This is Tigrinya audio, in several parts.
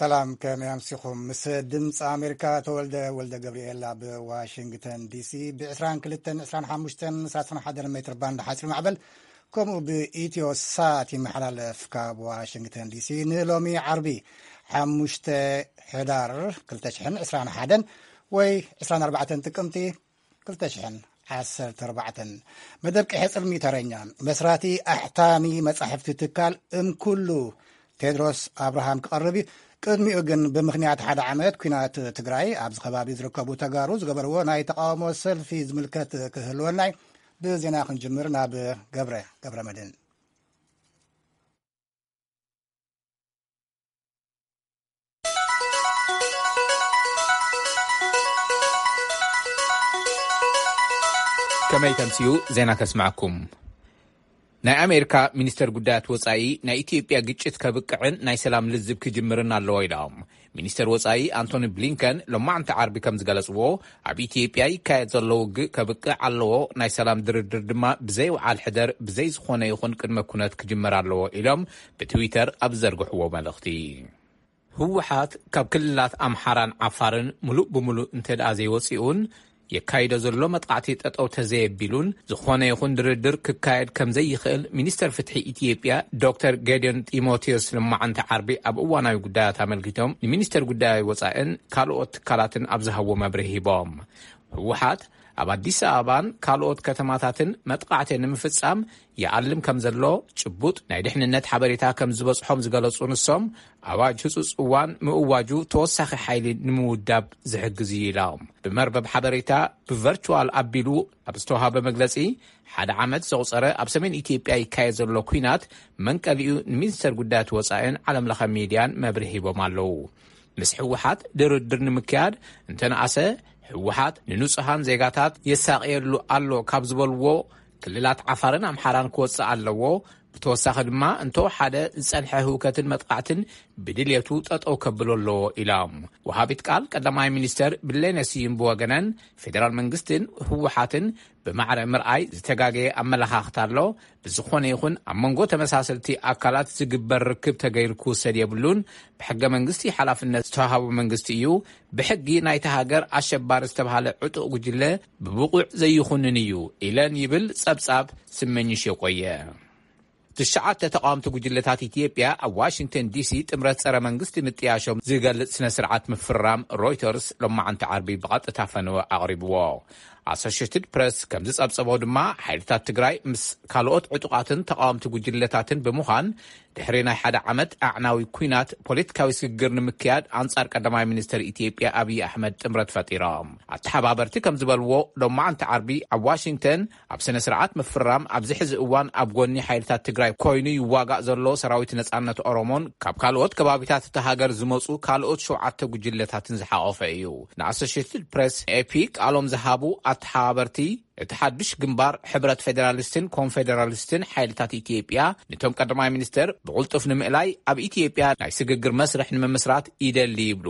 ሰላም፣ ከመይ ኣምሲኹም? ምስ ድምፂ ኣሜሪካ ተወልደ ወልደ ገብርኤል ኣብ ዋሽንግተን ዲሲ ብ22፣ 25፣ 31 ሜትር ባንድ ሓፂር ማዕበል፣ ከምኡ ብኢትዮ ሳት ይመሓላለፍ ካብ ዋሽንግተን ዲሲ። ንሎሚ ዓርቢ ሓሙሽተ ሕዳር ክልተ ሽሕን ዕስራን ሓደን ወይ ዕስራን ኣርባዕተን ጥቅምቲ ክልተ ሽሕን ዓሰርተ ኣርባዕተን። መደብ ቀይሕ ጽልሚ ተረኛ መስራቲ ኣሕታሚ መጻሕፍቲ ትካል እምኩሉ ቴድሮስ ኣብርሃም ክቐርብ እዩ። ቅድሚኡ ግን ብምኽንያት ሓደ ዓመት ኲናት ትግራይ ኣብዚ ከባቢ ዝርከቡ ተጋሩ ዝገበርዎ ናይ ተቃውሞ ሰልፊ ዝምልከት ክህልወና እዩ። ብዜና ክንጅምር ናብ ገብረ፣ ገብረ መድህን። ከመይ ተምስዩ ዜና ከስምዐኩም። ናይ ኣሜሪካ ሚኒስተር ጉዳያት ወጻኢ ናይ ኢትዮጵያ ግጭት ከብቅዕን ናይ ሰላም ልዝብ ክጅምርን ኣለዎ ኢሎም። ሚኒስተር ወጻኢ ኣንቶኒ ብሊንከን ሎማዕንቲ ዓርቢ ከም ዝገለጽዎ፣ ኣብ ኢትዮጵያ ይካየድ ዘሎ ውግእ ከብቅዕ ኣለዎ፣ ናይ ሰላም ድርድር ድማ ብዘይ ውዓል ሕደር ብዘይ ዝኾነ ይኹን ቅድመ ኩነት ክጅመር ኣለዎ ኢሎም ብትዊተር ኣብ ዝዘርግሕዎ መልእኽቲ። ህወሓት ካብ ክልላት ኣምሓራን ዓፋርን ምሉእ ብምሉእ እንተ ደኣ ዘይወጺኡን የካይዶ ዘሎ መጥቃዕቲ ጠጠው ተዘየቢሉን ዝኾነ ይኹን ድርድር ክካየድ ከም ዘይኽእል ሚኒስተር ፍትሒ ኢትዮጵያ ዶክተር ጌዲዮን ጢሞቴዎስ ሎማዕንቲ ዓርቢ ኣብ እዋናዊ ጉዳያት ኣመልኪቶም ንሚኒስተር ጉዳይ ወጻእን ካልኦት ትካላትን ኣብ ዝሃብዎ መብርሂ ሂቦም። ህወሓት ኣብ ኣዲስ ኣበባን ካልኦት ከተማታትን መጥቃዕቲ ንምፍጻም ይኣልም ከም ዘሎ ጭቡጥ ናይ ድሕንነት ሓበሬታ ከም ዝበጽሖም ዝገለጹ ንሶም፣ ኣዋጅ ህጹጽ እዋን ምእዋጁ ተወሳኺ ሓይሊ ንምውዳብ ዝሕግዝ እዩ ኢሎም። ብመርበብ ሓበሬታ ብቨርቹዋል ኣቢሉ ኣብ ዝተዋሃበ መግለጺ፣ ሓደ ዓመት ዘቑጸረ ኣብ ሰሜን ኢትዮጵያ ይካየድ ዘሎ ኲናት መንቀሊኡ ንሚኒስተር ጉዳያት ወጻኢን ዓለምለኸ ሚድያን መብርሂ ሂቦም ኣለዉ። ምስ ህወሓት ድርድር ንምክያድ እንተነኣሰ፣ ህወሓት ንንጹሃን ዜጋታት የሳቕየሉ ኣሎ ካብ ዝበልዎ ክልላት ዓፋርን ኣምሓራን ክወጽእ ኣለዎ። ብተወሳኺ ድማ እንተወሓደ ዝጸንሐ ህውከትን መጥቃዕትን ብድልየቱ ጠጠው ከብሎ ኣለዎ ኢሎም። ወሃቢት ቃል ቀዳማይ ሚኒስተር ብሌነ ስዩም ብወገነን፣ ፌደራል መንግስትን ህወሓትን ብማዕረ ምርኣይ ዝተጋገየ ኣመለኻኽታ ኣሎ። ብዝኾነ ይኹን ኣብ መንጎ ተመሳሰልቲ ኣካላት ዝግበር ርክብ ተገይሩ ክውሰድ የብሉን። ብሕገ መንግስቲ ሓላፍነት ዝተዋሃቦ መንግስቲ እዩ። ብሕጊ ናይታ ሃገር ኣሸባሪ ዝተባሃለ ዕጡቕ ጉጅለ ብብቑዕ ዘይኹንን እዩ ኢለን ይብል ጸብጻብ ስመኝሽ የቆየ። ትሽዓተ ተቃወምቲ ጉጅለታት ኢትዮጵያ ኣብ ዋሽንግተን ዲሲ ጥምረት ጸረ መንግስቲ ምጥያሾም ዝገልጽ ስነ ስርዓት ምፍራም ሮይተርስ ሎማዕንቲ ዓርቢ ብቐጥታ ፈነወ ኣቕሪብዎ። ኣሶሽትድ ፕረስ ከም ዝጸብጸቦ ድማ ሓይልታት ትግራይ ምስ ካልኦት ዕጡቓትን ተቃወምቲ ጉጅለታትን ብምዃን ድሕሪ ናይ ሓደ ዓመት ኣዕናዊ ኲናት ፖለቲካዊ ስግግር ንምክያድ ኣንጻር ቀዳማይ ሚኒስተር ኢትዮጵያ ኣብይ ኣሕመድ ጥምረት ፈጢሮም። ኣተሓባበርቲ ከም ዝበልዎ ሎማዕንቲ ዓርቢ ኣብ ዋሽንግተን ኣብ ስነ ስርዓት ምፍራም ኣብዚ ሕዚ እዋን ኣብ ጎኒ ሓይልታት ትግራይ ኮይኑ ይዋጋእ ዘሎ ሰራዊት ነጻነት ኦሮሞን ካብ ካልኦት ከባቢታት እታ ሃገር ዝመጹ ካልኦት ሸውዓተ ጉጅለታትን ዝሓቆፈ እዩ። ንኣሶሽትድ ፕረስ ኤፒ ቃሎም ዝሃቡ ኣተሓባበርቲ፣ እቲ ሓዱሽ ግንባር ሕብረት ፌደራሊስትን ኮንፌደራሊስትን ሓይልታት ኢትዮጵያ ንቶም ቀዳማይ ሚኒስተር ብቕልጡፍ ንምእላይ ኣብ ኢትዮጵያ ናይ ስግግር መስርሕ ንምምስራት ይደሊ ይብሉ።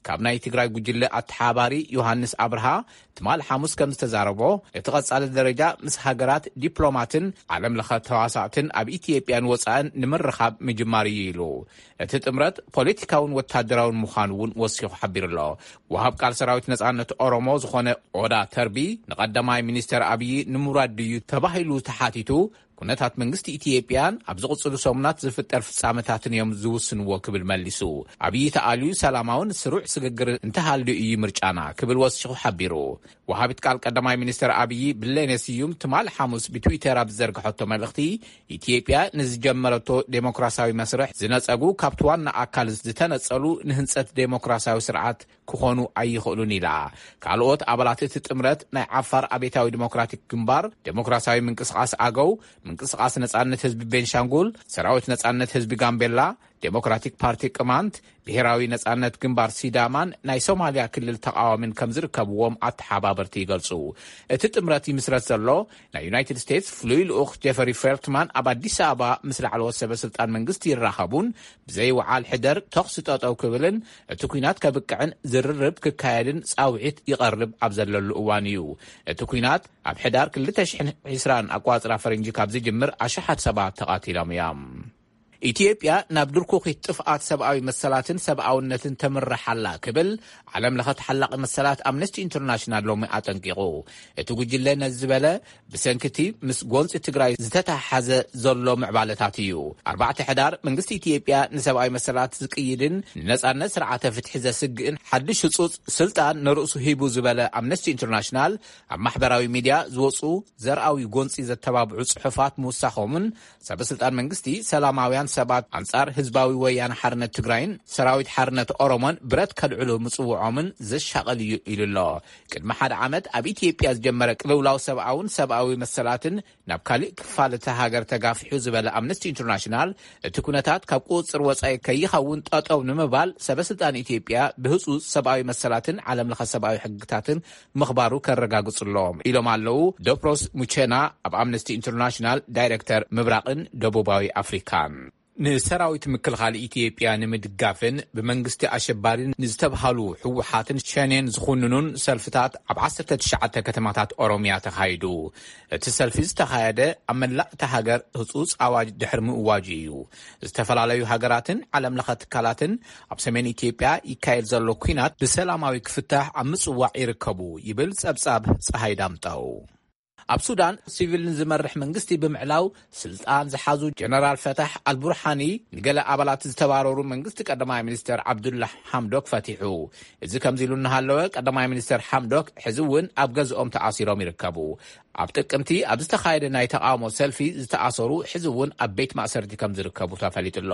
ካብ ናይ ትግራይ ጉጅለ ኣተሓባሪ ዮሃንስ ኣብርሃ ትማል ሓሙስ ከም ዝተዛረቦ፣ እቲ ቀጻሊ ደረጃ ምስ ሃገራት ዲፕሎማትን ዓለም ለኸ ተዋሳእትን ኣብ ኢትዮጵያን ወጻእን ንምርኻብ ምጅማር እዩ ኢሉ። እቲ ጥምረት ፖለቲካውን ወታደራውን ምዃኑ እውን ወሲኹ ሓቢሩ ኣሎ። ወሃብ ቃል ሰራዊት ነጻነት ኦሮሞ ዝኾነ ኦዳ ተርቢ ንቐዳማይ ሚኒስተር ኣብዪ ንምውራድ ድዩ ተባሂሉ ተሓቲቱ፣ ኩነታት መንግስቲ ኢትዮጵያን ኣብ ዝቕጽሉ ሰሙናት ዝፍጠር ፍጻመታትን እዮም ዝውስንዎ ክብል መሊሱ። ኣብዪ ተኣልዩ ሰላማውን ስሩዕ ስግግር እንተሃልዩ እዩ ምርጫና ክብል ወሲኹ ሓቢሩ። ወሃቢት ቃል ቀዳማይ ሚኒስተር ኣብዪ ብሌነ ስዩም ትማል ሓሙስ ብትዊተር ኣብ ዝዘርግሐቶ መልእኽቲ፣ ኢትዮጵያ ንዝጀመረቶ ዴሞክራሲያዊ መስርሕ ዝነጸጉ ካብቲ ዋና ኣካል ዝተነጸሉ ንህንጸት ዴሞክራሲያዊ ስርዓት ክኾኑ ኣይኽእሉን ኢላ። ካልኦት ኣባላት እቲ ጥምረት ናይ ዓፋር ኣቤታዊ ዲሞክራቲክ ግንባር፣ ዴሞክራሲያዊ ምንቅስቓስ ኣገው፣ ምንቅስቓስ ነጻነት ህዝቢ ቤንሻንጉል፣ ሰራዊት ነጻነት ህዝቢ ጋምቤላ፣ ዴሞክራቲክ ፓርቲ ቅማንት፣ ብሄራዊ ነጻነት ግንባር ሲዳማን ናይ ሶማልያ ክልል ተቃዋሚን ከም ዝርከብዎም ኣተሓባበርቲ ይገልጹ። እቲ ጥምረት ይምስረት ዘሎ ናይ ዩናይትድ ስቴትስ ፍሉይ ልኡኽ ጀፈሪ ፌልትማን ኣብ ኣዲስ ኣበባ ምስ ላዕለዎት ሰበ ስልጣን መንግስቲ ይራኸቡን ብዘይ ውዓል ሕደር ተኹሲ ጠጠው ክብልን እቲ ኲናት ከብቅዕን ዝርርብ ክካየድን ጻውዒት ይቐርብ ኣብ ዘለሉ እዋን እዩ። እቲ ኲናት ኣብ ሕዳር ክልተ ሽሕን ዕስራን ኣቋጽራ ፈረንጂ ካብ ዝጅምር ኣሽሓት ሰባት ተቓቲሎም እዮም። ኢትዮጵያ ናብ ድርኩኺት ጥፍኣት ሰብኣዊ መሰላትን ሰብኣውነትን ተምርሕ ኣላ ክብል ዓለም ለኸ ተሓላቒ መሰላት ኣምነስቲ ኢንተርናሽናል ሎሚ ኣጠንቂቑ። እቲ ጉጅለ ነዚ ዝበለ ብሰንኪ እቲ ምስ ጎንፂ ትግራይ ዝተተሓሓዘ ዘሎ ምዕባለታት እዩ። ኣርባዕተ ሕዳር መንግስቲ ኢትዮጵያ ንሰብኣዊ መሰላት ዝቅይድን ንነፃነት ስርዓተ ፍትሒ ዘስግእን ሓድሽ ህፁፅ ስልጣን ንርእሱ ሂቡ ዝበለ ኣምነስቲ ኢንተርናሽናል ኣብ ማሕበራዊ ሚድያ ዝወፁ ዘርኣዊ ጎንፂ ዘተባብዑ ፅሑፋት ምውሳኾምን ሰበስልጣን መንግስቲ ሰላማውያን ሰባት ኣንጻር ህዝባዊ ወያነ ሓርነት ትግራይን ሰራዊት ሓርነት ኦሮሞን ብረት ከልዕሉ ምጽውዖምን ዘሻቐል እዩ ኢሉ ኣሎ። ቅድሚ ሓደ ዓመት ኣብ ኢትዮጵያ ዝጀመረ ቅልውላው ሰብኣውን ሰብኣዊ መሰላትን ናብ ካልእ ክፋል እታ ሃገር ተጋፊሑ ዝበለ ኣምነስቲ ኢንተርናሽናል፣ እቲ ኩነታት ካብ ቁጽጽር ወጻኢ ከይኸውን ጠጠው ንምባል ሰበስልጣን ኢትዮጵያ ብህጹጽ ሰብኣዊ መሰላትን ዓለም ለኸ ሰብኣዊ ሕግታትን ምኽባሩ ከረጋግጹ ኣለዎም ኢሎም ኣለዉ ዶፕሮስ ሙቼና፣ ኣብ ኣምነስቲ ኢንተርናሽናል ዳይሬክተር ምብራቕን ደቡባዊ ኣፍሪካን። ንሰራዊት ምክልኻል ኢትዮጵያ ንምድጋፍን ብመንግስቲ ኣሸባሪ ንዝተብሃሉ ህወሓትን ሸኔን ዝኹንኑን ሰልፍታት ኣብ ዓሰርተ ትሽዓተ ከተማታት ኦሮሚያ ተኻይዱ። እቲ ሰልፊ ዝተኻየደ ኣብ መላእ እታ ሃገር ህጹጽ ኣዋጅ ድሕሪ ምእዋጁ እዩ። ዝተፈላለዩ ሃገራትን ዓለም ለኸ ትካላትን ኣብ ሰሜን ኢትዮጵያ ይካየድ ዘሎ ኲናት ብሰላማዊ ክፍታሕ ኣብ ምጽዋዕ ይርከቡ ይብል ጸብጻብ ጸሃይ ዳምጠው። ኣብ ሱዳን ሲቪል ንዝመርሕ መንግስቲ ብምዕላው ስልጣን ዝሓዙ ጀነራል ፈታሕ ኣልቡርሃኒ ንገለ ኣባላት ዝተባረሩ መንግስቲ ቀዳማይ ሚኒስተር ዓብዱላ ሓምዶክ ፈቲሑ። እዚ ከምዚ ኢሉ እናሃለወ ቀዳማይ ሚኒስተር ሓምዶክ ሕዚ እውን ኣብ ገዝኦም ተኣሲሮም ይርከቡ። ኣብ ጥቅምቲ ኣብ ዝተኻየደ ናይ ተቃውሞ ሰልፊ ዝተኣሰሩ ሕዚ እውን ኣብ ቤት ማእሰርቲ ከም ዝርከቡ ተፈሊጡ ኣሎ።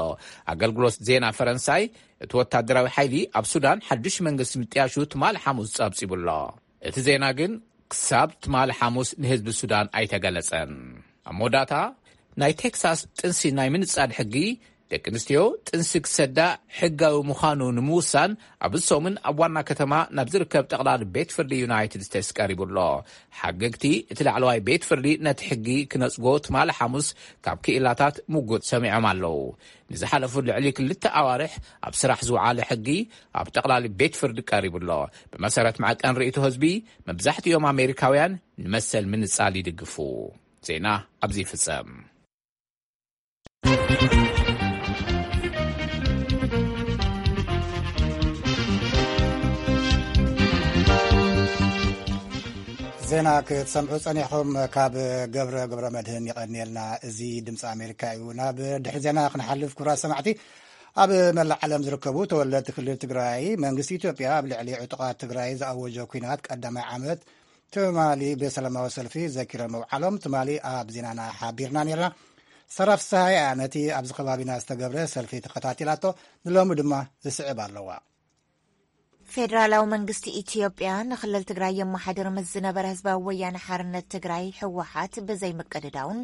ኣገልግሎት ዜና ፈረንሳይ እቲ ወታደራዊ ሓይሊ ኣብ ሱዳን ሓዱሽ መንግስቲ ምጥያሹ ትማሊ ሓሙስ ጸብጺቡ ኣሎ። እቲ ዜና ግን ክሳብ ትማሊ ሓሙስ ንህዝቢ ሱዳን ኣይተገለጸን። ኣብ መወዳእታ ናይ ቴክሳስ ጥንሲ ናይ ምንጻል ሕጊ ደቂ ኣንስትዮ ጥንሲ ክሰዳ ሕጋዊ ምዃኑ ንምውሳን ኣብ ሰሙን ኣብ ዋና ከተማ ናብ ዝርከብ ጠቕላሊ ቤት ፍርዲ ዩናይትድ ስቴትስ ቀሪቡ ኣሎ። ሓገግቲ እቲ ላዕለዋይ ቤት ፍርዲ ነቲ ሕጊ ክነጽጎ ትማሊ ሓሙስ ካብ ክኢላታት ምጉት ሰሚዖም ኣለዉ። ንዝሓለፉ ልዕሊ ክልተ ኣዋርሕ ኣብ ስራሕ ዝወዓለ ሕጊ ኣብ ጠቕላሊ ቤት ፍርዲ ቀሪቡ ኣሎ። ብመሰረት መዐቀን ርእይቶ ህዝቢ መብዛሕትኦም ኣሜሪካውያን ንመሰል ምንጻል ይድግፉ። ዜና ኣብዚ ይፍጸም። ዜና ክትሰምዑ ጸኒሕኹም ካብ ገብረ ገብረ መድህን ይቐንየልና። እዚ ድምፂ ኣሜሪካ እዩ። ናብ ድሕሪ ዜና ክንሓልፍ ክቡራት ሰማዕቲ፣ ኣብ መላእ ዓለም ዝርከቡ ተወለድቲ ክልል ትግራይ መንግስቲ ኢትዮጵያ ኣብ ልዕሊ ዕጡቓት ትግራይ ዝኣወጆ ኲናት ቀዳማይ ዓመት ትማሊ ብሰላማዊ ሰልፊ ዘኪሮም ምውዓሎም ትማሊ ኣብ ዜናና ሓቢርና ነርና። ሰራፍ ሰሃያ ነቲ ኣብዚ ከባቢና ዝተገብረ ሰልፊ ተኸታቲላቶ፣ ንሎሚ ድማ ዝስዕብ ኣለዋ። ፌደራላዊ መንግስቲ ኢትዮጵያ ንክልል ትግራይ የመሓድር ምስ ዝነበረ ህዝባዊ ወያነ ሓርነት ትግራይ ህወሓት ብዘይምቅድዳውን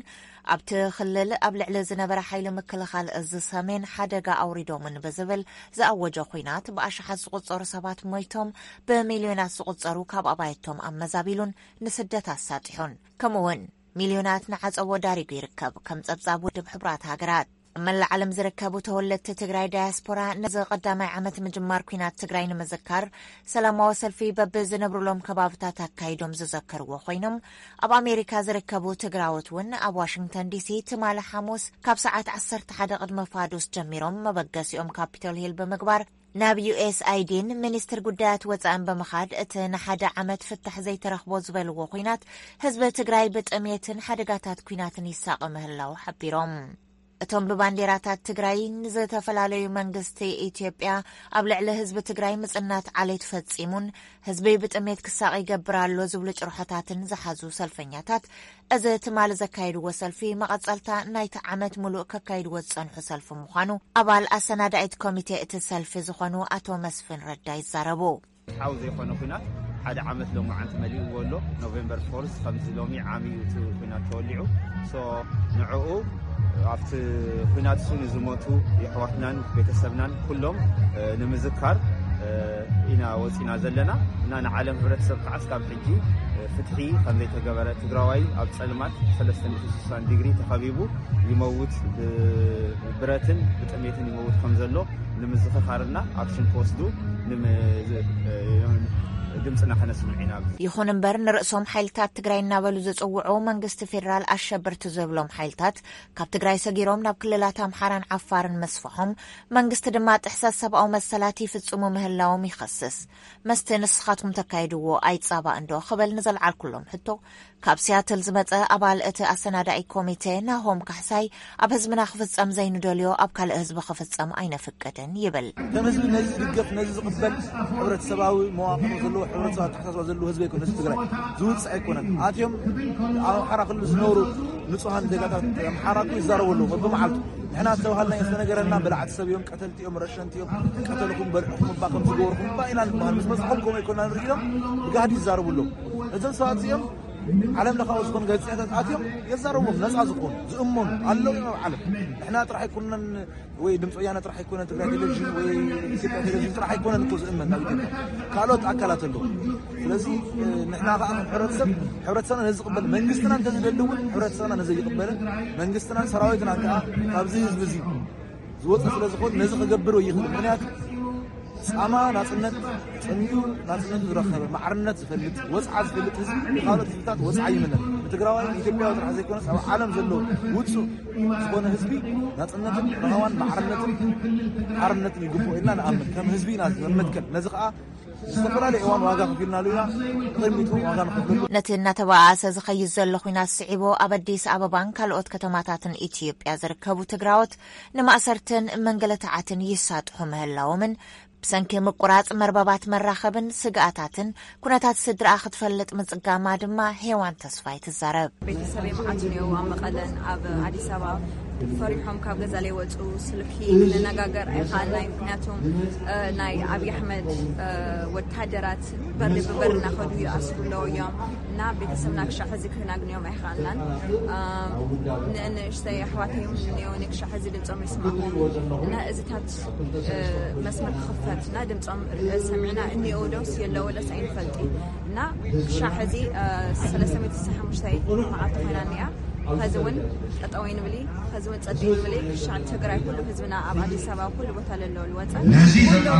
ኣብቲ ክልል ኣብ ልዕሊ ዝነበረ ሓይሊ ምክልኻል እዚ ሰሜን ሓደጋ ኣውሪዶምን ብዝብል ዝኣወጆ ኹናት ብኣሽሓት ዝቑጸሩ ሰባት ሞይቶም፣ ብሚልዮናት ዝቑጸሩ ካብ ኣባይቶም ኣመዛቢሉን ንስደት ኣሳጢሑን፣ ከምኡውን ሚልዮናት ንዓጸቦ ዳሪጉ ይርከብ። ከም ጸብጻብ ውድብ ሕቡራት ሃገራት ኣብ መላእ ዓለም ዝርከቡ ተወለድቲ ትግራይ ዳያስፖራ ነዚ ቀዳማይ ዓመት ምጅማር ኲናት ትግራይ ንምዝካር ሰላማዊ ሰልፊ በብዝነብሩሎም ከባብታት ኣካይዶም ዝዘከርዎ ኮይኖም፣ ኣብ ኣሜሪካ ዝርከቡ ትግራዎት እውን ኣብ ዋሽንግተን ዲሲ ትማሊ ሓሙስ ካብ ሰዓት ዓሰርተ ሓደ ቅድሚ ፋዱስ ጀሚሮም መበገሲኦም ካፒቶል ሂል ብምግባር ናብ ዩኤስኣይዲን ሚኒስትር ጉዳያት ወፃእን ብምኻድ እቲ ንሓደ ዓመት ፍታሕ ዘይተረኽቦ ዝበልዎ ኲናት ህዝቢ ትግራይ ብጥሜትን ሓደጋታት ኲናትን ይሳቐ ምህላው ሓቢሮም። እቶም ብባንዴራታት ትግራይ ንዝተፈላለዩ መንግስቲ ኢትዮጵያ ኣብ ልዕሊ ህዝቢ ትግራይ ምጽናት ዓሌት ፈጺሙን ህዝቢ ብጥሜት ክሳቕ ይገብር ኣሎ ዝብሉ ጭርሖታትን ዝሓዙ ሰልፈኛታት፣ እዚ ትማሊ ዘካየድዎ ሰልፊ መቐጸልታ ናይቲ ዓመት ሙሉእ ከካይድዎ ዝጸንሑ ሰልፊ ምዃኑ ኣባል ኣሰናዳኢት ኮሚቴ እቲ ሰልፊ ዝኾኑ ኣቶ መስፍን ረዳ ይዛረቡ። ሓው ዘይኮነ ኲናት ሓደ ዓመት ሎማዓንቲ መሊእዎ ኣሎ። ኖቬምበር ፎርስ ከምዚ ሎሚ ዓሚ እዩ እቲ ኲናት ተወሊዑ። ሶ ንዕኡ ኣብቲ ኲናት እሱ ንዝሞቱ የሕዋትናን ቤተሰብናን ኩሎም፣ እ፣ ንምዝካር፣ እ፣ ኢና ወፂና ዘለና እና ንዓለም ሕብረተሰብ ከዓ እስካብ ሕጂ፣ እ፣ ፍትሒ ከምዘይተገበረ ትግራዋይ ኣብ ፀልማት ሰለስተ ሚእቲ ስሳን ዲግሪ ተኸቢቡ ይመውት፣ ብ-፣ ብብረትን ብጥሜትን ይመውት ከም ዘሎ ንምዝኽኻርና ኣክሽን ክወስዱ ንም-፣ ዝ-፣ እ፣ ድምፅና ከነስምዕ ኢና። ይኹን እምበር፣ ንርእሶም ሓይልታት ትግራይ እናበሉ ዝጽውዑ መንግስቲ ፌዴራል ኣሸበርቲ ዝብሎም ሓይልታት ካብ ትግራይ ሰጊሮም ናብ ክልላት ኣምሓራን ዓፋርን መስፍሖም፣ መንግስቲ ድማ ጥሕሰት ሰብኣዊ መሰላት ይፍጽሙ ምህላዎም ይኸስስ። መስቲ ንስኻትኩም ተካይድዎ ኣይጻባእንዶ ክብል ንዘልዓልኩሎም ሕቶ፣ ካብ ሲያትል ዝመጸ ኣባል እቲ ኣሰናዳኢ ኮሚቴ ናሆም ካሕሳይ፣ ኣብ ህዝብና ክፍጸም ዘይንደልዮ ኣብ ካልእ ህዝቢ ክፍጸም ኣይነፍቅድን ይብል። ከም ህዝቢ ነዚ ዝድገፍ፣ ነዚ ዝቕበል፣ ሕብረተሰባዊ መዋቕር ዘለዎ፣ ሕብረተሰብ ኣተሓሳስባ ዘለዎ ህዝቢ ኣይኮነ፣ ህዝቢ ትግራይ ዝውፅእ ኣይኮነን። ኣትዮም ኣብ ኣምሓራ ክልል ዝነብሩ ንጹሃን ዜጋታት ኣምሓራ እኮ ይዛረቡ ኣለዉ በብመዓልቱ። ንሕና ዝተባሃልና ዝተነገረና በላዕቲ ሰብ እዮም፣ ቀተልቲ እዮም፣ ረሸንቲ እዮም፣ ቀተልኩም፣ በልዕኹም እባ፣ ከም ዝገበርኩም እባ ኢና ንበሃል። ምስ መፅኦም ከምኡ ኣይኮና ንርኢ ኢሎም ብጋህዲ ይዛረቡ ኣለዉ። እዞም ሰባት እዚኦም ዓለም ለኻዊ ዝኾኑ ጋዜጠኛታት ኣትዮም የዛረብዎም፣ ነፃ ዝኾኑ ዝእመኑ ኣለዉ እዮም ኣብ ዓለም። ንሕና ጥራሕ ኣይኮነን ወይ ድምፂ ወያነ ጥራሕ ኣይኮነን፣ ትግራይ ቴሌቪዥን ወይ ኢትዮጵያ ቴሌቪዥን ጥራሕ ኣይኮነን እኮ ዝእመን ናብ ኢትዮጵያ፣ ካልኦት ኣካላት ኣለዉ። ስለዚ ንሕና ከዓ ከም ሕብረተሰብ፣ ሕብረተሰብና ነዚ ዝቕበል መንግስትና እንተዝደሊ እውን፣ ሕብረተሰብና ነዚ ይቕበልን መንግስትናን ሰራዊትናን ከዓ ካብዚ ህዝቢ እዚ ዝወፀ ስለ ዝኾን ነዚ ክገብር ወይ ይኽእል። ምክንያቱ ፃማ ናፅነት፣ ፅምዩ ናፅነቱ ዝረኸበ፣ ማዕርነት ዝፈልጥ፣ ወፅዓ ዝፈልጥ ህዝቢ ንካልኦት ህዝብታት ወፅዓ ይምነ። ንትግራዋይ ኢትዮጵያዊ ጥራሕ ዘይኮነስ ኣብ ዓለም ዘሎ ውፁዕ ዝኾነ ህዝቢ ናፅነትን ረሃዋን ማዕርነትን ሓርነትን ይግብኦ ኢልና ንኣምን። ከም ህዝቢ ኢና መመትከል። ነዚ ከዓ ዝተፈላለዩ እዋን ዋጋ ከፊልናሉ ኢና። ቅድሚቱ ዋጋ ንኸፍለሉ። ነቲ እናተባኣሰ ዝኸይድ ዘሎ ኹናት ስዒቡ፣ ኣብ ኣዲስ ኣበባን ካልኦት ከተማታትን ኢትዮጵያ ዝርከቡ ትግራዎት ንማእሰርትን ምንግልታዓትን ይሳጥሑ ምህላዎምን፣ ብሰንኪ ምቁራጽ መርበባት መራኸብን ስግኣታትን ኩነታት ስድራኣ ክትፈልጥ ምጽጋማ ድማ ሄዋን ተስፋይ ትዛረብ። ቤተሰበይ መዓት ነይሩ ኣብ መቐለን ኣብ ኣዲስ ኣበባ ፈሪሖም ካብ ገዛ ለይወፁ፣ ስልኪ ክንነጋገር ኣይከኣልናይ። ምክንያቱም ናይ ኣብይ ኣሕመድ ወታደራት በሪ ብበር እናኸዱ ይኣስሩ ኣለዉ እዮም እና ቤተሰብና ክሻዕ ሕዚ ክናግንዮም ኣይከኣልናን። ንእንእሽተይ ኣሕዋተይ እውን እኒኦ ክሻዕ ሕዚ ድምፆም ይስማዕኹም እና እዚታት መስመር ክኽፈት እና ድምፆም ሰሚዕና እኒኦ ዶስ የለዎ ደስ ኣይንፈልጢ እና ክሻዕ ሕዚ ሰለስተ ሚእቲ ስሳ ሓሙሽተ መዓልቲ ኮይና እኒኣ። ኸዚ እውን ጠጠው ይንብሊ፣ ኸዚ እውን ጸጥ ይንብሊ። ክሻዕ ትግራይ ኩሉ ህዝብና ኣብ ኣዲስ ኣበባ ኩሉ ቦታ ለለዎ ልወጸ ኩሉ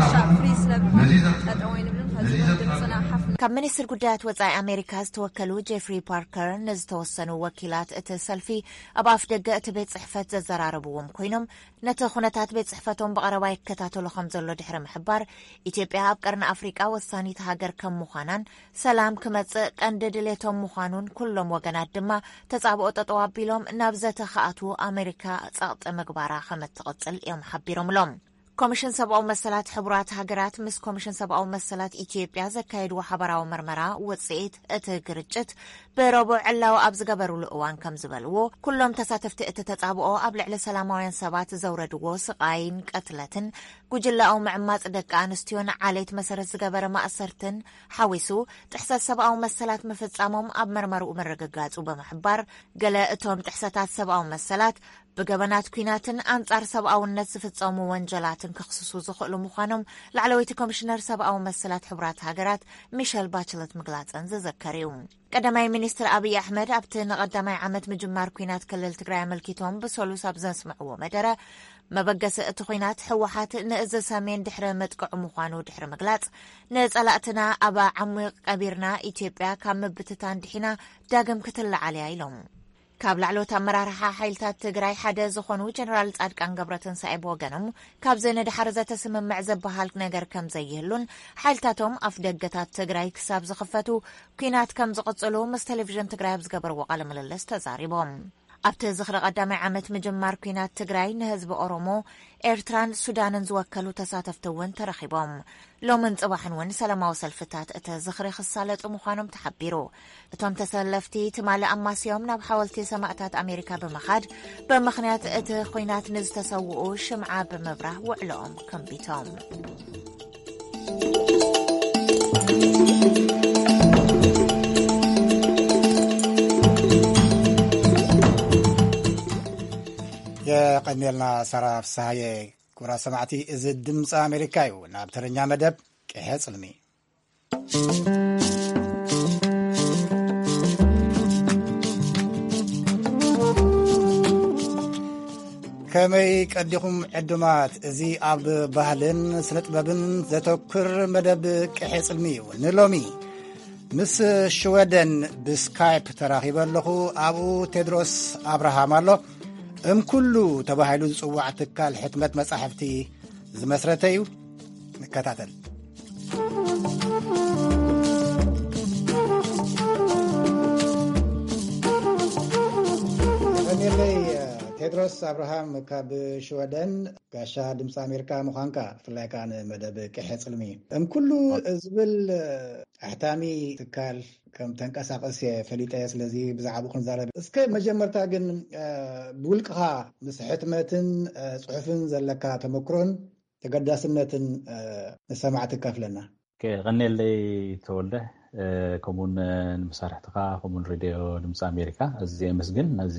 ክሻዕ ፍሪ ስለብኾን ጠጠው ይንብልን ኸዚ እውን ድምፅና ሓፍ ካብ ሚኒስትር ጉዳያት ወጻኢ ኣሜሪካ ዝተወከሉ ጄፍሪ ፓርከር ንዝተወሰኑ ወኪላት እቲ ሰልፊ ኣብ ኣፍ ደገ እቲ ቤት ጽሕፈት ዘዘራረብዎም ኮይኖም፣ ነቲ ኩነታት ቤት ጽሕፈቶም ብቐረባ ይከታተሎ ከም ዘሎ ድሕሪ ምሕባር፣ ኢትዮጵያ ኣብ ቀርኒ ኣፍሪቃ ወሳኒት ሃገር ከም ምዃናን ሰላም ክመጽእ ቀንዲ ድሌቶም ምዃኑን ኩሎም ወገናት ድማ ተጻብኦ ጠጠው ኣቢሎም ናብ ዘተ ክኣትዉ ኣሜሪካ ጸቕጢ ምግባራ ከም እትቕጽል እዮም ሓቢሮምሎም። ኮሚሽን ሰብኣዊ መሰላት ሕቡራት ሃገራት ምስ ኮሚሽን ሰብኣዊ መሰላት ኢትዮጵያ ዘካየድዎ ሓበራዊ መርመራ ውጽኢት እቲ ግርጭት ብረቡዕ ዕላዊ ኣብ ዝገበሩሉ እዋን ከም ዝበልዎ፣ ኩሎም ተሳተፍቲ እቲ ተጻብኦ ኣብ ልዕሊ ሰላማውያን ሰባት ዘውረድዎ ስቓይን ቅትለትን፣ ጉጅላዊ ምዕማጽ ደቂ ኣንስትዮን ዓሌት መሰረት ዝገበረ ማእሰርትን ሓዊሱ ጥሕሰት ሰብኣዊ መሰላት ምፍጻሞም ኣብ መርመርኡ ምርግጋጹ ብምሕባር፣ ገለ እቶም ጥሕሰታት ሰብኣዊ መሰላት ብገበናት ኲናትን ኣንጻር ሰብኣውነት ዝፍጸሙ ወንጀላትን ክኽስሱ ዝኽእሉ ምዃኖም ላዕለወይቲ ኮሚሽነር ሰብኣዊ መሰላት ሕቡራት ሃገራት ሚሸል ባችለት ምግላጸን ዝዝከር እዩ። ቀዳማይ ሚኒስትር ኣብይ ኣሕመድ ኣብቲ ንቐዳማይ ዓመት ምጅማር ኲናት ክልል ትግራይ ኣመልኪቶም ብሰሉስ ኣብ ዘስምዕዎ መደረ፣ መበገሲ እቲ ኲናት ህወሓት ንእዚ ሰሜን ድሕሪ ምጥቅዑ ምዃኑ ድሕሪ ምግላጽ፣ ንጸላእትና ኣብ ዓሚቕ ቀቢርና ኢትዮጵያ ካብ ምብትታን ድሒና ዳግም ክትለዓል እያ ኢሎም። ካብ ላዕለዎት ኣመራርሓ ሓይልታት ትግራይ ሓደ ዝኾኑ ጀነራል ጻድቃን ገብረትንሳኤ ብወገኖም፣ ካብዚ ንድሓር ዘተስምምዕ ዝበሃል ነገር ከም ዘይህሉን ሓይልታቶም ኣፍ ደገታት ትግራይ ክሳብ ዝኽፈቱ ኲናት ከም ዝቕጽሉ ምስ ቴሌቪዥን ትግራይ ኣብ ዝገበርዎ ቃለ ምልልስ ተዛሪቦም። ኣብቲ ዝኽሪ ቀዳማይ ዓመት ምጅማር ኲናት ትግራይ ንህዝቢ ኦሮሞ፣ ኤርትራን ሱዳንን ዝወከሉ ተሳተፍቲ እውን ተረኺቦም። ሎምን ጽባሕን እውን ሰላማዊ ሰልፍታት እቲ ዝኽሪ ክሳለጡ ምዃኖም ተሓቢሩ። እቶም ተሰለፍቲ ትማሊ ኣማስዮም ናብ ሓወልቲ ሰማእታት ኣሜሪካ ብምኻድ፣ ብምኽንያት እቲ ኹናት ንዝተሰውኡ ሽምዓ ብምብራህ ውዕሎኦም ከንቢቶም። የቐንየልና ሳራ ፍስሃየ። ክቡራት ሰማዕቲ፣ እዚ ድምፂ ኣሜሪካ እዩ። ናብ ተረኛ መደብ ቅሐ ጽልሚ። ከመይ ቀዲኹም ዕዱማት? እዚ ኣብ ባህልን ስነ ጥበብን ዘተኩር መደብ ቅሐ ጽልሚ እዩ። ንሎሚ ምስ ሽወደን ብስካይፕ ተራኺበ ኣለኹ። ኣብኡ ቴድሮስ ኣብርሃም ኣሎ። እምኩሉ ተባሂሉ ዝጽዋዕ ትካል ሕትመት መጻሕፍቲ ዝመስረተ እዩ። ንከታተል። ቀኒለይ ቴድሮስ ኣብርሃም ካብ ሽወደን፣ ጋሻ ድምፂ ኣሜሪካ ምዃንካ፣ ብፍላይ ከዓ ንመደብ ቅሐ ፅልሚ እም ኩሉ ዝብል ኣሕታሚ ትካል ከም ተንቀሳቀስ ፈሊጠ። ስለዚ ብዛዕባኡ ክንዛረብ። እስከ መጀመርታ ግን ብውልቅኻ ምስ ሕትመትን ፅሑፍን ዘለካ ተመክሮን ተገዳስነትን ንሰማዕቲ ከፍለና። ከቐኔለይ ተወልደ፣ ከምኡውን ንመሳርሕትኻ፣ ከምኡውን ሬድዮ ድምፂ ኣሜሪካ እዚ የመስግን፣ ነዚ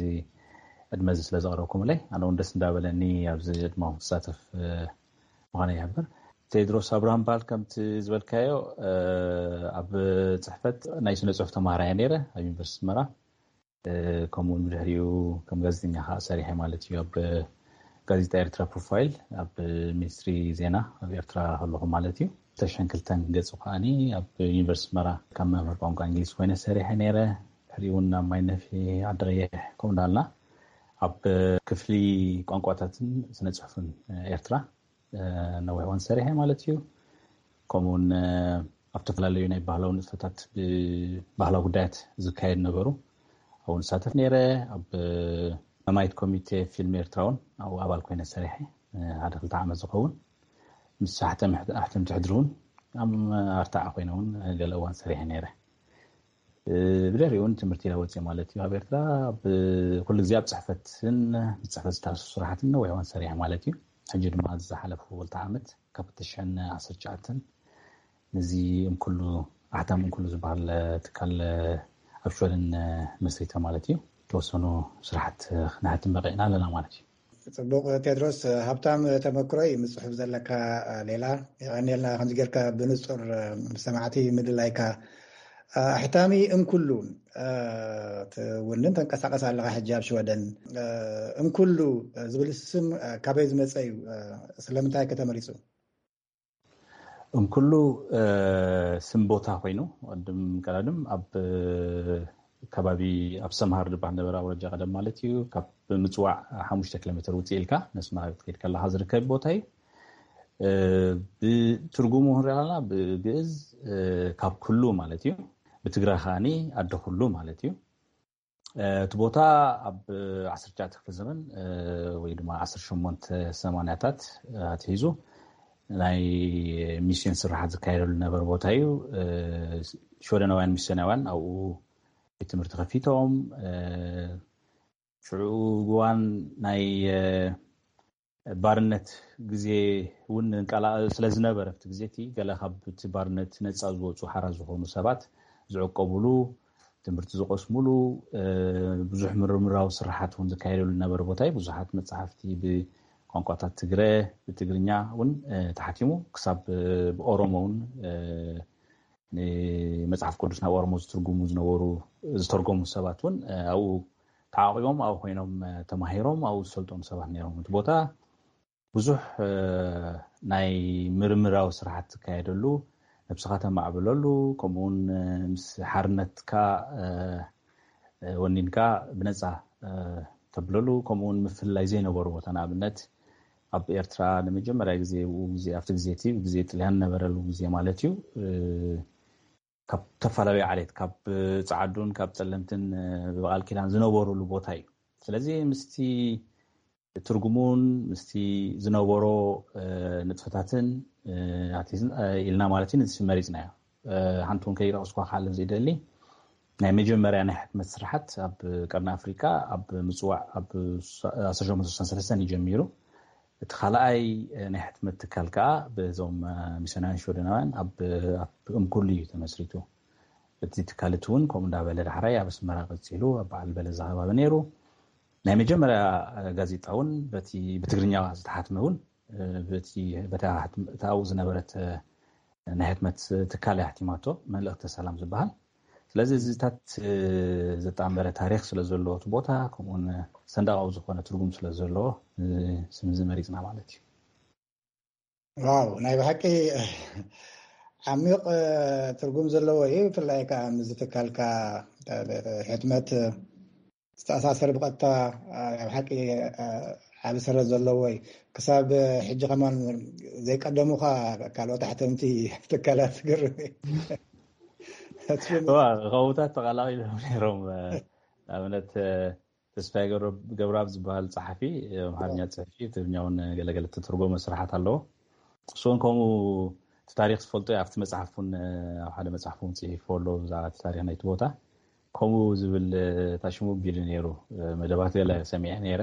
ዕድመ እዚ ስለ ዘቕረብኩምለይ። ኣነ እውን ደስ እንዳበለኒ ኣብዚ ዕድመኹም ክሳተፍ ምዃነ ይሕብር። ቴድሮስ ኣብርሃም በሃል። ከምቲ ዝበልካዮ ኣብ ፅሕፈት ናይ ስነ ፅሑፍ ተማሃራይ ነይረ ኣብ ዩኒቨርሲቲ ኣስመራ። ከምኡ ድሕሪኡ ከም ጋዜጠኛ ከዓ ሰሪሐ ማለት እዩ። ኣብ ጋዜጣ ኤርትራ ፕሮፋይል ኣብ ሚኒስትሪ ዜና ኣብ ኤርትራ ከለኹ ማለት እዩ። ተሽሕን ክልተን ገፁ ከዓኒ ኣብ ዩኒቨርሲቲ ኣስመራ ካብ መምህር ቋንቋ እንግሊዝ ኮይነ ሰሪሐ ነይረ። ድሕሪኡ እውን ኣብ ማይነፊ፣ ዓዲ ቀይሕ ከምኡ እንዳልና ኣብ ክፍሊ ቋንቋታትን ስነ ፅሑፍን ኤርትራ ነዊሕ እዋን ሰሪሐ ማለት እዩ። ከምኡውን ኣብ ዝተፈላለዩ ናይ ባህላዊ ንጥፈታት ብባህላዊ ጉዳያት ዝካየድ ነበሩ ኣብኡ ንሳተፍ ነይረ። ኣብ ማማይት ኮሚቴ ፊልም ኤርትራ እውን ኣብኡ ኣባል ኮይነ ሰሪሐ ሓደ ክልተ ዓመት ዝኸውን። ምስ ኣሕተምቲ ሕድሪ እውን ኣብ ኣርታዓ ኮይነ እውን ገለ እዋን ሰሪሐ ነይረ። ብድሕሪኡ እውን ትምህርቲ ኢለ ወፅየ ማለት እዩ። ኣብ ኤርትራ ኩሉ ግዜ ኣብ ፅሕፈትን ምስ ፅሕፈት ዝተኣሳሰሩ ስራሕትን ነዊሕ እዋን ሰሪሐ ማለት እዩ። ሕጂ ድማ ዝሓለፉ ክልተ ዓመት ካብ ክልተ ሽሕን ዓሰርተ ትሽዓተን ነዚ እምኩሉ ኣሕታም እምኩሉ ዝበሃል ትካል ኣብ ሽወደን መስሪተ ማለት እዩ። ተወሰኑ ስራሕት ክነሕትም በቂዕና ኣለና ማለት እዩ። ጽቡቕ ቴድሮስ፣ ሃብታም ተመክሮ እዩ ምስ ጽሑፍ ዘለካ ሌላ። የቐንየልና ከምዚ ጌርካ ብንጹር ምስ ሰማዕቲ ምድላይካ። ኣሕታሚ እንኩሉ ትውንን ተንቀሳቐስ ኣለኻ ሕጂ ኣብ ሽወደን። እንኩሉ ዝብል ስም ካበይ ዝመጸ እዩ? ስለምንታይ ከ ተመሪጹ? እንኩሉ ስም ቦታ ኮይኑ፣ ቅድም ቀዳድም ኣብ ከባቢ ኣብ ሰምሃር ዝበሃል ነበረ ኣውራጃ ቀደም ማለት እዩ። ካብ ምጽዋዕ ሓሙሽተ ኪሎ ሜትር ውፅእ ኢልካ ነስመራ ክትከይድ ከለኻ ዝርከብ ቦታ እዩ። ብትርጉሙ ክንሪኦ ከለና ብግእዝ ካብ ኩሉ ማለት እዩ። ብትግረ ከዓኒ ኣደ ኩሉ ማለት እዩ። እቲ ቦታ ኣብ ዓሰርተ ትሽዓተ ክፍለ ዘመን ወይ ድማ ዓሰርተ ሸሞንተ ሰማንያታት ኣትሒዙ ናይ ሚስዮን ስራሓት ዝካየደሉ ነበረ ቦታ እዩ። ሽወደናውያን ሚስዮናውያን ኣብኡ ቤት ትምህርቲ ከፊቶም። ሽዑ እዋን ናይ ባርነት ግዜ እውን እንቀላቐል ስለ ዝነበረ ኣብቲ ግዜ እቲ ገለ ካብ እቲ ባርነት ነፃ ዝወፁ ሓራ ዝኾኑ ሰባት ዝዕቀቡሉ፣ ትምህርቲ ዝቐስሙሉ፣ ብዙሕ ምርምራዊ ስራሓት እውን ዝካየደሉ ዝነበረ ቦታ እዩ። ብዙሓት መፅሓፍቲ ብቋንቋታት ትግረ፣ ብትግርኛ እውን ተሓቲሙ ክሳብ ብኦሮሞ እውን ንመፅሓፍ ቅዱስ ናብ ኦሮሞ ዝትርጉሙ ዝነበሩ ዝተርጎሙ ሰባት እውን ኣብኡ ተዓቂቦም ኣብኡ ኮይኖም ተማሂሮም ኣብኡ ዝሰልጠኑ ሰባት ነይሮም። እቲ ቦታ ብዙሕ ናይ ምርምራዊ ስራሕት ዝካየደሉ፣ ነብስኻ ተማዕብለሉ፣ ከምኡውን ምስ ሓርነትካ ወኒንካ ብነፃ ተብለሉ፣ ከምኡውን ምፍልላይ ዘይነበሩ ቦታ፣ ንኣብነት ኣብ ኤርትራ ንመጀመርያ ግዜ ብኡ ግዜ ኣብቲ ግዜ እቲ ግዜ ጥልያን ነበረሉ ግዜ ማለት እዩ። ካብ ተፈላለዩ ዓሌት ካብ ፃዓዱን ካብ ፀለምትን ብቃል ኪዳን ዝነበሩሉ ቦታ እዩ። ስለዚ ምስቲ ትርጉሙን ምስቲ ዝነበሮ ንጥፈታትን ኢልና ማለት እዩ ንዚ መሪፅናዮ። ሓንቲ እውን ከይጠቕስኳ ክሓልፍ ዝደሊ ናይ መጀመርያ ናይ ሕትመት ስራሓት ኣብ ቀርኒ ኣፍሪቃ ኣብ ምፅዋዕ ኣብ ዓሰርተ ሸሞንተ ስሳን ሰለስተን እዩ ጀሚሩ። እቲ ካልኣይ ናይ ሕትመት ትካል ከዓ በዞም ሚስዮናውያን ሽወደናውያን ኣብ እምኩሉ እዩ ተመስሪቱ። እቲ ትካል እቲ እውን ከምኡ እንዳበለ ዳሕራይ ኣብ ኣስመራ ቀፂሉ ኣብ በዓል በለዛ ከባቢ ነይሩ። ናይ መጀመርያ ጋዜጣ እውን በቲ ብትግርኛ ዝተሓትመ እውን በቲ ኣብኡ ዝነበረት ናይ ሕትመት ትካል እያ ሕቲማቶ፣ መልእክተ ሰላም ዝበሃል። ስለዚ እዚታት ዘጣመረ ታሪክ ስለዘለዎ እቲ ቦታ ከምኡውን ሰንዳቃዊ ዝኾነ ትርጉም ስለዘለዎ ስምዚ መሪፅና ማለት እዩ። ዋው ናይ ብሓቂ ዓሚቕ ትርጉም ዘለዎ እዩ። ብፍላይ ከዓ ምስ ትካልካ ሕትመት ዝተኣሳሰር ብቐጥታ ኣብ ሓቂ ዓቢ ሰረት ዘለዎ እዩ። ክሳብ ሕጂ ከማን ዘይቀደሙኻ ካልኦት ኣሕተምቲ ትካላት ትግርም ከውታት ተቐላቂሎም ነይሮም። ንኣብነት ተስፋይ ገብረኣብ ዝበሃል ጸሓፊ ኣምሓርኛ ጽሕፊ ትግርኛውን ገለገለ ተተርጎመ ስራሓት ኣለዎ። እሱን ከምኡ እቲ ታሪክ ዝፈልጦ ኣብቲ መፅሓፍ እውን ኣብ ሓደ መፅሓፍ እውን ፅሒፎ ኣሎ ብዛዕባ እቲ ታሪክ ናይቲ ቦታ ከምኡ ዝብል ታሽሙ ቢሉ ነይሩ። መደባት ገለ ሰሚዐ ነይረ።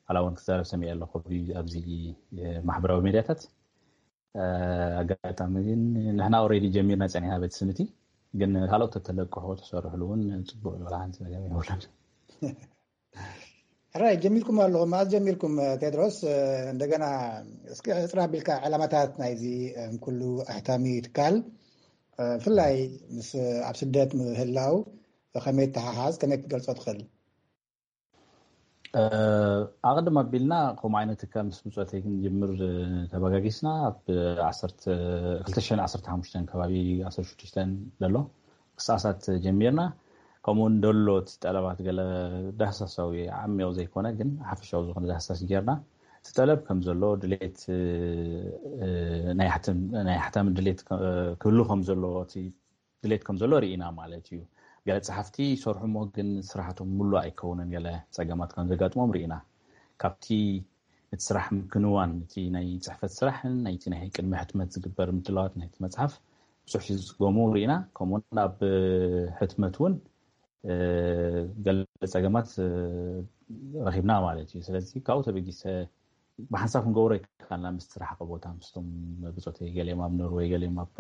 hala እውን ክዛረብ ሰሚዐ ኣለኹ ኣብዚ ማሕበራዊ ሜድያታት። ኣጋጣሚ ግን ንሕና ኦሬዲ ጀሚርና ፀኒሕና ቤት ስምቲ ግን ካልኦት ተተለቅሑ ተሰርሕሉ እውን ፅቡቅ ዝበላ ሓንቲ ነገር የብሉን። ሕራይ ጀሚርኩም ኣለኹም። መዓዝ ጀሚርኩም ቴድሮስ? እንደገና እስኪ ዕፅር ኣቢልካ ዕላማታት ናይዚ ኩሉ ኣሕታሚ ትካል ብፍላይ ምስ ኣብ ስደት ምህላው ከመይ ተሓሓዝ ከመይ ክትገልፆ ትኽእል? ኣቕድም ኣቢልና ከምኡ ዓይነት ትካል ምስ ብፆተይ ክንጅምር ተበጋጊስና ኣብ ክልተ ሽሕን ዓሰርተ ሓሙሽተን ከባቢ ዓሰርተ ሽዱሽተ ዘሎ ክሳሳት ጀሚርና። ከምኡውን ደሎ እቲ ጠለባት ገለ ዳህሳሳዊ ዓሚቕ ዘይኮነ ግን ሓፈሻዊ ዝኾነ ዳህሳስ ጌርና እቲ ጠለብ ከም ዘሎ ድሌት ናይ ሓታሚ ድሌት ክህሉ ከም ዘለዎ እቲ ድሌት ከም ዘሎ ርኢና ማለት እዩ። ገለ ጸሓፍቲ ይሰርሑ እሞ ግን ስራሕቶም ሙሉእ ኣይከውንን፣ ገለ ጸገማት ከም ዘጋጥሞም ርኢና። ካብቲ እቲ ስራሕ ምክንዋን እቲ ናይ ጽሕፈት ስራሕን ናይቲ ናይ ቅድሚ ሕትመት ዝግበር ምድላዋት ናይቲ መጽሓፍ ብዙሕ ዝጽገሙ ርኢና። ከምኡውን ኣብ ሕትመት እውን ገለ ጸገማት ረኺብና ማለት እዩ። ስለዚ ካብኡ ተበጊሰ ብሓንሳብ ክንገብሮ ይከኣልና ምስቲ ዝረሓቐ ቦታ ምስቶም ብፆተይ ገሊኦም ኣብ ኖርወይ ገሊኦም ኣብ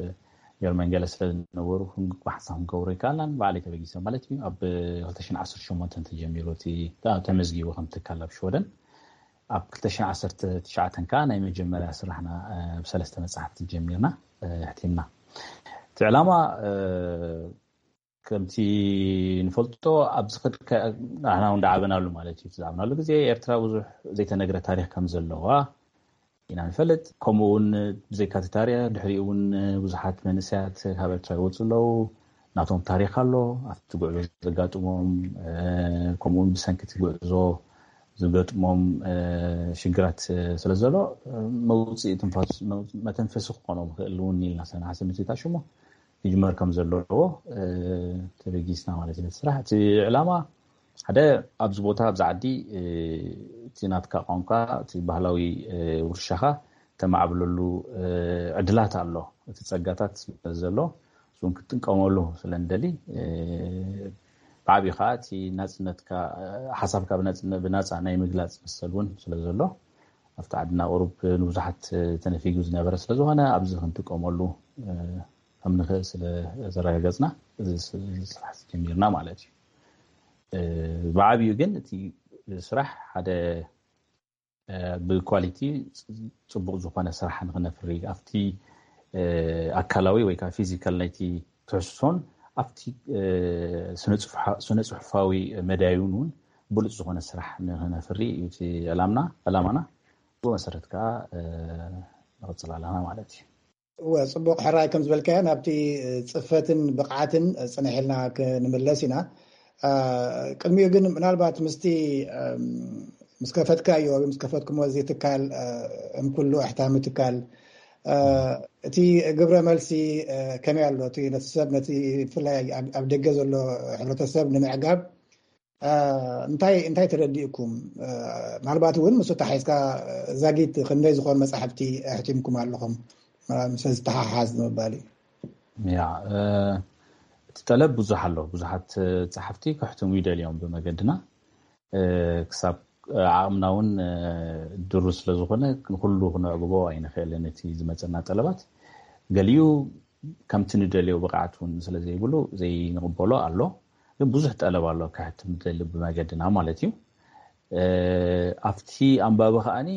ጀርመን ገለ ስለ ዝነበሩ ብሓንሳብ ክንገብሮ ይከኣልና። ባዕለይ ተበጊሰ ማለት እዩ። ኣብ ክልተ ሽሕን ዓሰርተ ሸሞንተን ተጀሚሩ እቲ ተመዝጊቡ ከም ትካል ኣብ ሽወደን። ኣብ ክልተ ሽሕን ዓሰርተ ትሽዓተን ከዓ ናይ መጀመርያ ስራሕና ብሰለስተ መፅሓፍቲ ጀሚርና ሕቲምና። እቲ ዕላማ ከምቲ ንፈልጦ ኣብዚ ከድካ ንሕና እውን ዳዓበናሉ ማለት እዩ። ዝዓበናሉ ግዜ ኤርትራ ብዙሕ ዘይተነግረ ታሪክ ከም ዘለዋ ኢና ንፈልጥ። ከምኡ እውን ብዘይካ እቲ ታሪክ ድሕሪኡ እውን ብዙሓት መንእሰያት ካብ ኤርትራ ይወፁ ኣለዉ። ናቶም ታሪክ ኣሎ። ኣብቲ ጉዕዞ ዘጋጥሞም ከምኡውን ብሰንኪ እቲ ጉዕዞ ዝገጥሞም ሽግራት ስለ ዘሎ መውፅኢ ትንፋስ መተንፈሲ ክኾኖም ይኽእል እውን ኢልና ሰናሓሰብ ምትታ ሽሞ ይጅመር ከም ዘለዎ ተበጊስና ማለት እዩ። ስራሕ እቲ ዕላማ ሓደ ኣብዚ ቦታ ኣብዚ ዓዲ እቲ ናትካ ቋንቋ እቲ ባህላዊ ውርሻኻ ተማዕብለሉ ዕድላት ኣሎ። እቲ ጸጋታት ስለ ዘሎ እሱን ክትጥቀመሉ ስለ ንደሊ ብዓብዩ ከዓ እቲ ናፅነትካ ሓሳብካ ብናፃ ናይ ምግላፅ መሰል እውን ስለ ዘሎ ኣብቲ ዓድና ቁሩብ ንብዙሓት ተነፊጉ ዝነበረ ስለ ዝኾነ ኣብዚ ክንጥቀመሉ ከም ንኽእል ስለ ዘረጋገፅና እዚ ስራሕ ጀሚርና ማለት እዩ። ብዓብዩ ግን እቲ ስራሕ ሓደ ብኳሊቲ ፅቡቅ ዝኾነ ስራሕ ንክነፍሪ ኣብቲ ኣካላዊ ወይ ከዓ ፊዚካል ናይቲ ትሕዝቶን ኣብቲ ስነ ፅሑፋዊ መዳዩን እውን ብሉፅ ዝኾነ ስራሕ ንክነፍሪ እዩ እቲ ዕላምና ዕላማና። ብኡ መሰረት ከዓ ንቕፅል ኣለና ማለት እዩ። እወ፣ ፅቡቕ ሕራይ ከም ዝበልካዮ ናብቲ ፅፈትን ብቕዓትን ፅንሕልና ክንምለስ ኢና። ቅድሚኡ ግን ምናልባት ምስቲ ምስ ከፈትካዮ ወይ ምስ ከፈትኩሞ እዚ ትካል እም ኩሉ ኣሕታሚ ትካል እቲ ግብረ መልሲ ከመይ ኣሎ? እቲ ነቲ ሰብ ነቲ ብፍላይ ኣብ ደገ ዘሎ ሕብረተሰብ ንምዕጋብ እንታይ እንታይ ተረዲእኩም? ምናልባት እውን ምስ ተሓሒዝካ ዛጊት ክንደይ ዝኾኑ መጻሕፍቲ ኣሕቲምኩም ኣለኹም ምስ ዝተሓሓዝ ንምባል እዩ። ያ እቲ ጠለብ ብዙሕ ኣሎ። ብዙሓት ጸሓፍቲ ከሕትሙ ይደልዮም ብመገድና ክሳብ ዓቕምና እውን ድሩ ስለ ዝኾነ ንኩሉ ክነዕግቦ ኣይንኽእልን። እቲ ዝመፀና ጠለባት ገሊኡ ከምቲ ንደልዮ ብቕዓት እውን ስለ ዘይብሉ ዘይንቕበሎ ኣሎ። ግን ብዙሕ ጠለብ ኣሎ ከሕትም ዝደሊ ብመገድና ማለት እዩ። ኣብቲ ኣንባቢ ከዓኒ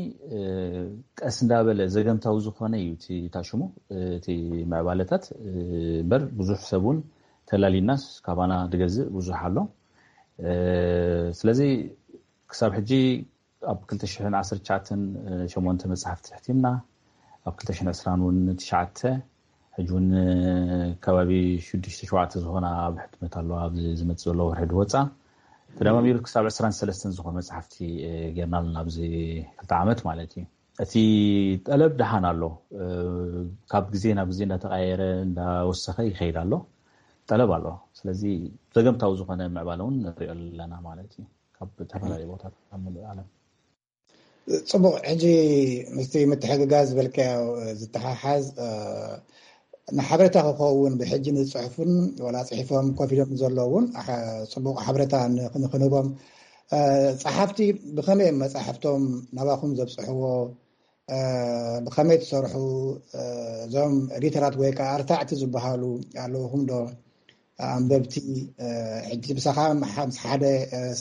ቀስ እንዳበለ ዘገምታዊ ዝኾነ እዩ እቲ ታሽሙ እቲ ምዕባለታት እምበር ብዙሕ ሰብ እውን ተላሊናስ ካባና ዝገዝእ ብዙሕ ኣሎ። ስለዚ ክሳብ ሕጂ ኣብ ክልተ ሽሕን ዓሰርተ ትሽዓተን ሸሞንተ መጽሓፍቲ ሕቲምና፣ ኣብ ክልተ ሽሕን ዕስራን እውን ትሽዓተ፣ ሕጂ እውን ከባቢ ሽዱሽተ ሸውዓተ ዝኾና ኣብ ሕትመት ኣለዋ። ኣብዚ ዝመጽእ ዘሎ ወርሒ ድወጻ ተደማሚሩ ክሳብ ዕስራን ሰለስተን ዝኾኑ መጽሓፍቲ ጌርና ኣለና ኣብዚ ክልተ ዓመት ማለት እዩ። እቲ ጠለብ ደሓን ኣሎ። ካብ ግዜ ናብ ግዜ እንዳተቐያየረ እንዳወሰኸ ይኸይድ ኣሎ። ጠለብ ኣሎ። ስለዚ ዘገምታዊ ዝኾነ ምዕባለ እውን ንሪኦ ኣለና ማለት እዩ። ካብ ዝተፈላለዩ ቦታታት ኣብ ምሉእ ዓለም። ጽቡቕ። ሕጂ ምስቲ ምትሕግጋዝ ዝበልካዮ ዝተሓሓዝ ንሓበሬታ ክኸውን ብሕጂ ንፅሑፍን ወላ ፅሒፎም ኮፍ ኢሎም ዘለውን ጽቡቕ ሓበሬታ ንክንህቦም ፀሓፍቲ ብኸመይ እዮም መፃሕፍቶም ናባኹም ዘብፅሕዎ? ብኸመይ ትሰርሑ? እዞም ኤዲተራት ወይ ከዓ ኣርታዕቲ ዝበሃሉ ኣለውኹም ዶ ኣንበብቲ? ሕጂ ብሳኻ ምስ ሓደ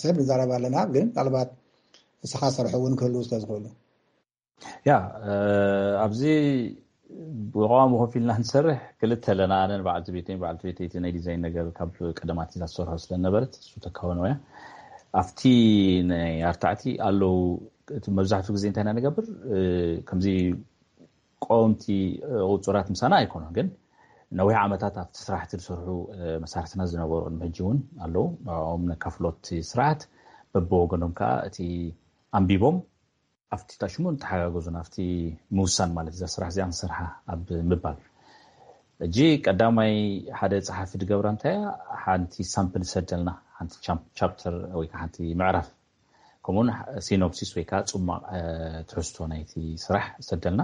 ሰብ ንዛረብ ኣለና፣ ግን ምናልባት ንስኻ ሰርሑ እውን ክህልው ስለዝኽእሉ። ያ ኣብዚ ብቐዋሚ ኮፍ ኢልና ንሰርሕ ክልተ ኣለና። ኣነን በዓልቲ ቤተይን፣ በዓልቲ ቤተይ እቲ ናይ ዲዛይን ነገር ካብ ቀደማት እዛ ትሰርሖ ስለነበረት እሱ ተካወነው እያ። ኣብቲ ናይ ኣርታዕቲ ኣለዉ። እቲ መብዛሕትኡ ግዜ እንታይ ኢና ንገብር? ከምዚ ቀወምቲ ቁፁራት ምሳና ኣይኮኑን፣ ግን ነዊሕ ዓመታት ኣብቲ ስራሕቲ ዝሰርሑ መሳርሕትና ዝነበሩ ቅድሚ ሕጂ እውን ኣለዉ። ንዕኦም ነካፍሎ እቲ ስርዓት፣ በብወገኖም ከዓ እቲ ኣንቢቦም ኣብቲ ታሽሙ ንተሓጋገዙ ናብቲ ምውሳን ማለት እዛ ስራሕ እዚኣ ንሰርሓ ኣብ ምባል። ሕጂ ቀዳማይ ሓደ ፀሓፊ ዝገብራ እንታይ እያ? ሓንቲ ሳምፕል ይሰደልና፣ ሓንቲ ቻፕተር ወይ ከዓ ሓንቲ ምዕራፍ፣ ከምኡውን ሲኖፕሲስ ወይ ከዓ ፅማቕ ትሕዝቶ ናይቲ ስራሕ ይሰደልና።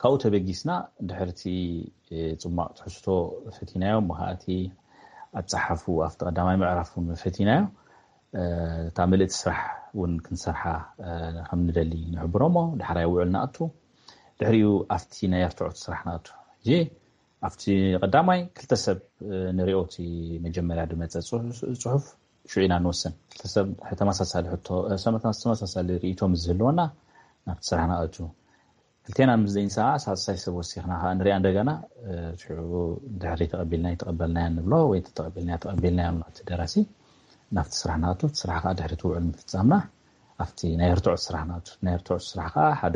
ካብኡ ተበጊስና ድሕርቲ ፅማቕ ትሕዝቶ ፈቲናዮ፣ መኻእቲ ኣፀሓፉ ኣብቲ ቀዳማይ ምዕራፍ እውን ፈቲናዮ። እታ ምልእቲ ስራሕ እውን ክንሰርሓ ከም ንደሊ ንሕብሮ እሞ ዳሕራይ ውዕል ንኣቱ። ድሕሪኡ ኣብቲ ናይ ኣርትዖት ስራሕ ንኣቱ። ሕጂ ኣብቲ ቀዳማይ ክልተ ሰብ ንሪኦ፣ እቲ መጀመርያ ዝመፀ ፅሑፍ ሽዑ ኢና ንወስን። ክልተ ሰብ ተመሳሳሊ ሕቶ፣ ተመሳሳሊ ርእይቶ ምስ ዝህልወና ናብቲ ስራሕ ንኣቱ። ክልቴና ምስ ዘይንሰማማዕ ሳልሳይ ሰብ ወሲኽና ከዓ ንሪኣ እንደገና። ሽዑ ድሕሪ ተቐቢልና ይተቐበልናያ ንብሎ ወይ ተቐቢልና ተቐቢልናያ ንብሎ እቲ ደራሲ። ናብቲ ስራሕ ንኣቱ፣ እቲ ስራሕ ከዓ ድሕሪ እቲ ውዕል ምፍፃምና ኣብቲ ናይ ርትዖት ስራሕ ንኣቱ። ናይ ርትዖት ስራሕ ከዓ ሓደ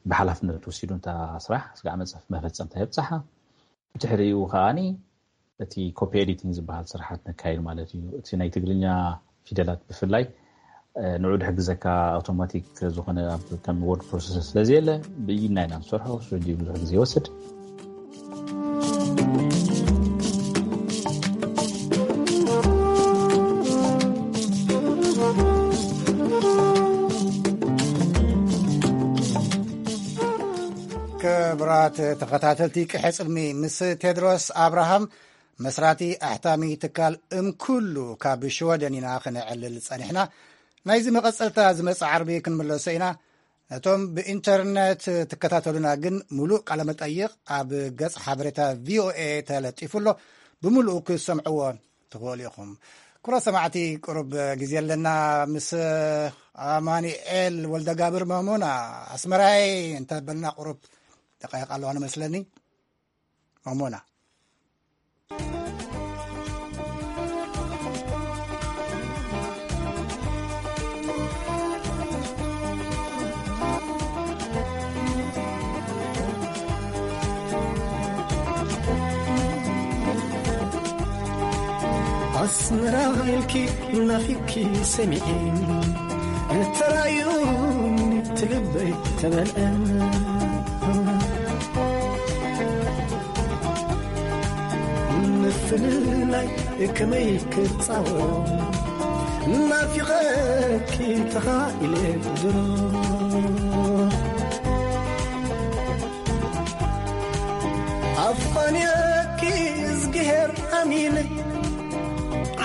ብሓላፍነት ወሲዱ እንታ ስራሕ ስጋዕ መፅፍ መፈፀምታ የብፅሓ። ብድሕሪኡ ከዓኒ እቲ ኮፒ ኤዲቲንግ ዝበሃል ስርሓት ነካይድ ማለት እዩ። እቲ ናይ ትግርኛ ፊደላት ብፍላይ ንዑ ድሕግዘካ ኣውቶማቲክ ዝኾነ ከም ወርድ ፕሮሰሰር ስለዘየለ ብኢድና ኢና ንሰርሖ። እሱ ሕጂ ብዙሕ ግዜ ይወስድ። ክቡራት ተኸታተልቲ ቅሐ ጽልሚ ምስ ቴድሮስ ኣብርሃም መስራቲ ኣሕታሚ ትካል እምኩሉ ካብ ሽወደን ኢና ክነዕልል ጸኒሕና። ናይዚ መቐጸልታ ዝመጽእ ዓርቢ ክንምለሶ ኢና። ነቶም ብኢንተርነት ትከታተሉና ግን ሙሉእ ቃለ መጠይቕ ኣብ ገጽ ሓበሬታ ቪኦኤ ተለጢፉ ኣሎ። ብምሉኡ ክሰምዕዎ ትኽእሉ ኢኹም። ክቡራት ሰማዕቲ፣ ቁሩብ ግዜ ኣለና። ምስ ኣማኑኤል ወልደጋብር መሞና ኣስመራይ እንተበልና ቁሩብ ደቃይቕ ኣለዋ ንመስለኒ። መሞና። ኣስመራ ኢልኪ ናፊኪ ሰሚዒ እተራዩ ትልበይ ተመልአ። ምፍልላይ ከመይ ክጻወ ናፊቐኪ ተኻኢለ ድሮ። ኣፋንየኪ እዝግሄር ኣሚነ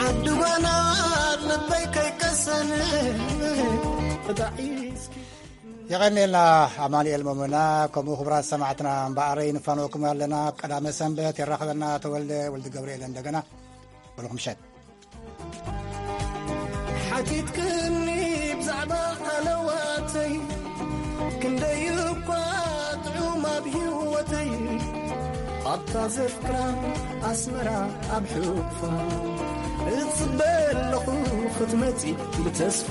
ዓዲ ጓና ልበይ ከይቀሰነ። የቐኔልና ኣማኑኤል መሞና። ከምኡ ክቡራት ሰማዕትና እምበኣረይ ንፋነወኩም ኣለና። ኣብ ቀዳመ ሰንበት የራኽበና ተወልደ ወልዲ ገብርኤል እንደገና። በልኹም ምሸት። ሓቲትክኒ ብዛዕባ ሃለዋተይ ክንደይ እኳ ጥዑም ኣብ ህይወተይ። ኣብታ ዘፍቅራ ኣስመራ ኣብ ሕቑፋ እጽበ ኣለኹ ክትመጺ ብተስፋ።